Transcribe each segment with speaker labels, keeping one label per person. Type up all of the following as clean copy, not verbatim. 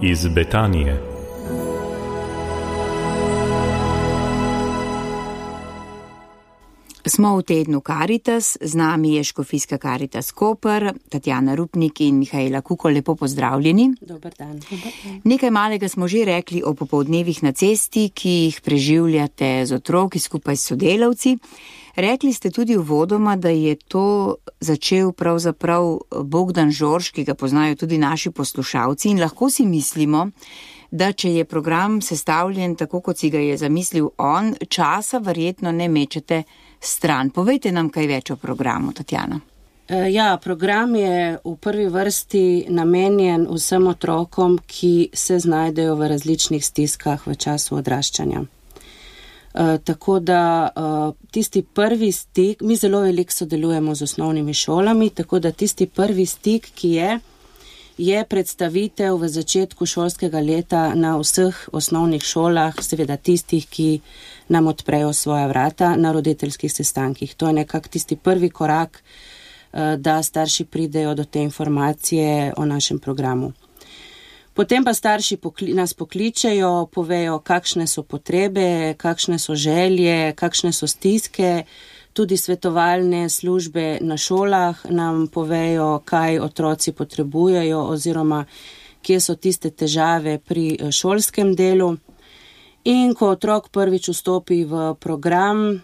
Speaker 1: iz Betanije.
Speaker 2: Smo v tednu Karitas, z nami je škofijska Karitas Koper, Tatjana Rupnik in Mihaela Kuko, lepo pozdravljeni.
Speaker 3: Dober dan.
Speaker 2: Nekaj malega smo že rekli o popoldnevih na cesti, ki jih preživljate z otroki skupaj s sodelavci. Rekli ste tudi uvodoma, da je to začel pravzaprav Bogdan Žorž, ki ga poznajo tudi naši poslušalci, in lahko si mislimo, da če je program sestavljen tako, kot si ga je zamislil on, časa verjetno ne mečete stran. Povejte nam kaj več o programu, Tatjana.
Speaker 3: Ja, program je v prvi vrsti namenjen vsem otrokom, ki se znajdejo v različnih stiskah v času odraščanja. Tako da tisti prvi stik, mi zelo veliko sodelujemo z osnovnimi šolami, tako da tisti prvi stik, ki je predstavitev v začetku šolskega leta na vseh osnovnih šolah, seveda tistih, ki nam odprejo svoja vrata na roditeljskih sestankih. To je nekako tisti prvi korak, da starši pridejo do te informacije o našem programu. Potem pa starši nas pokličejo, povejo, kakšne so potrebe, kakšne so želje, kakšne so stiske. Tudi svetovalne službe na šolah nam povejo, kaj otroci potrebujejo oziroma kje so tiste težave pri šolskem delu. In ko otrok prvič vstopi v program,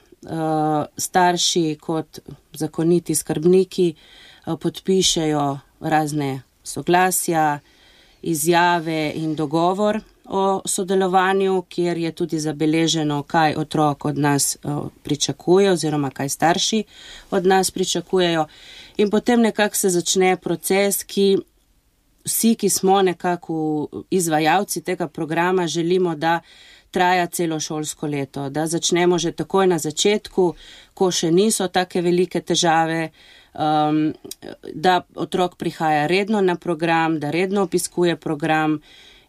Speaker 3: starši kot zakoniti skrbniki podpišejo razne soglasja, izjave in dogovor o sodelovanju, kjer je tudi zabeleženo, kaj otrok od nas pričakuje oziroma kaj starši od nas pričakujejo. In potem nekako se začne proces, ki vsi, ki smo nekako izvajalci tega programa, želimo, da traja celo šolsko leto, da začnemo že takoj na začetku, ko še niso take velike težave, da otrok prihaja redno na program, da redno obiskuje program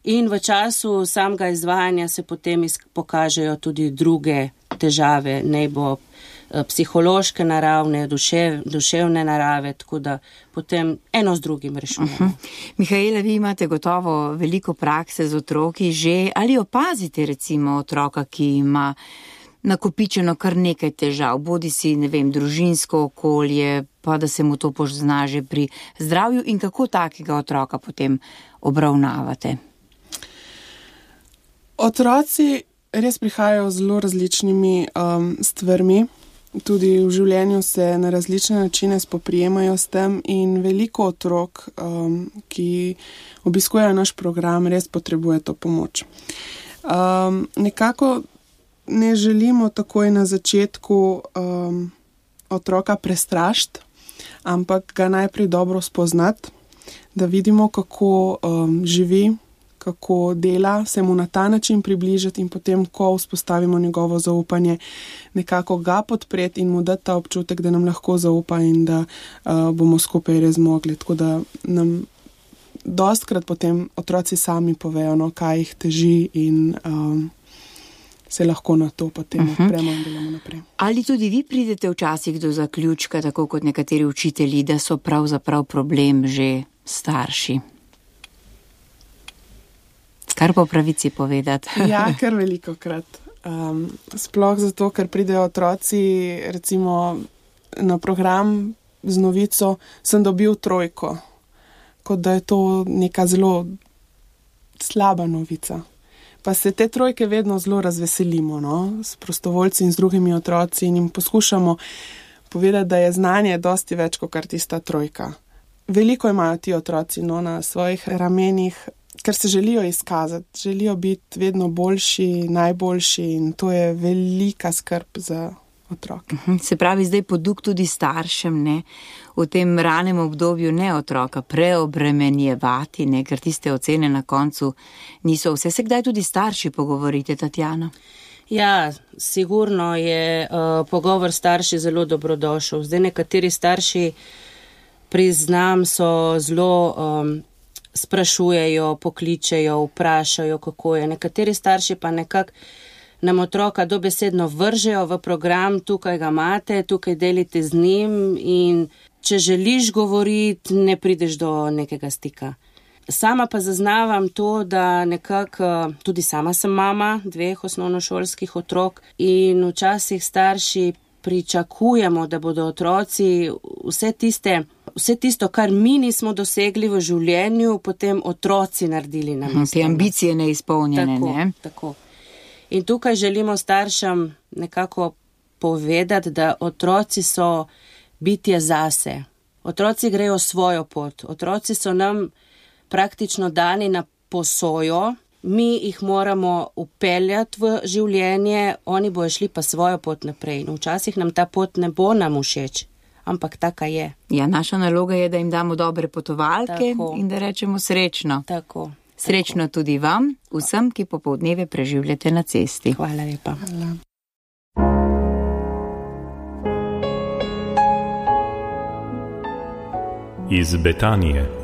Speaker 3: in v času samega izvajanja se potem pokažejo tudi druge težave, naj bo psihološke naravne, duševne narave, tako da potem eno z drugim rešujemo.
Speaker 2: Mihaela, vi imate gotovo veliko prakse z otroki že, ali opazite recimo otroka, ki ima nakopičeno kar nekaj težav, bodi si, ne vem, družinsko okolje, pa da se mu to pozna že pri zdravju, in kako takega otroka potem obravnavate?
Speaker 4: Otroci res prihajajo z zelo različnimi stvarmi, tudi v življenju se na različne načine spoprijemajo s tem in veliko otrok, ki obiskujejo naš program, res potrebuje to pomoč. Nekako ne želimo takoj na začetku otroka prestrašiti, ampak ga najprej dobro spoznati, da vidimo, kako živi, kako dela, se mu na ta način približati in potem, ko vzpostavimo njegovo zaupanje, nekako ga podpreti in mu dati ta občutek, da nam lahko zaupa in da bomo skupaj res zmogli. Tako da nam dostkrat potem otroci sami povejo, no, kaj jih teži in se lahko na to potem odpremo in delamo naprej.
Speaker 2: Ali tudi vi pridete včasih do zaključka, tako kot nekateri učitelji, da so pravzaprav problem že starši? Kar po pravici povedati.
Speaker 4: Ja, kar velikokrat. Sploh zato, ker pridejo otroci recimo na program z novico, sem dobil 3, kot da je to neka zelo slaba novica. Pa se te 3 vedno zelo razveselimo, no, s prostovoljci in z drugimi otroci in jim poskušamo povedati, da je znanje dosti več kot kar tista 3. Veliko imajo ti otroci, no, na svojih ramenih, ker se želijo izkazati, želijo biti vedno boljši, najboljši in to je velika skrb za otroke.
Speaker 2: Se pravi, zdaj poduk tudi staršem, ne, v tem ranem obdobju ne otroka preobremenjevati, ne, ker tiste ocene na koncu niso vse. Se kdaj tudi starši pogovorite, Tatjana?
Speaker 3: Ja, sigurno je pogovor starši zelo dobrodošel. Zdaj nekateri starši, priznam, so zelo sprašujejo, pokličejo, vprašajo, kako je. Nekateri starši pa nekako nam otroka dobesedno vržejo v program, tukaj ga imate, tukaj delite z njim in če želiš govoriti, ne prideš do nekega stika. Sama pa zaznavam to, da nekako, tudi sama sem mama 2 osnovnošolskih otrok in včasih starši pričakujemo, da bodo otroci vse tisto, kar mi nismo dosegli v življenju, potem otroci naredili namesto.
Speaker 2: Te ambicije neizpolnjene, ne?
Speaker 3: Tako. In tukaj želimo staršem nekako povedati, da otroci so bitje zase. Otroci grejo svojo pot. Otroci so nam praktično dani na posojo. Mi jih moramo upeljati v življenje, oni bojo šli pa svojo pot naprej. No, včasih nam ta pot ne bo nam všeč, ampak taka je.
Speaker 2: Ja, naša naloga je, da jim damo dobre potovalke in da rečemo srečno.
Speaker 3: Tako.
Speaker 2: Srečno tudi vam, vsem, ki popoldneve preživljate na cesti.
Speaker 3: Hvala lepa.
Speaker 4: Hvala.
Speaker 1: Iz Betanije.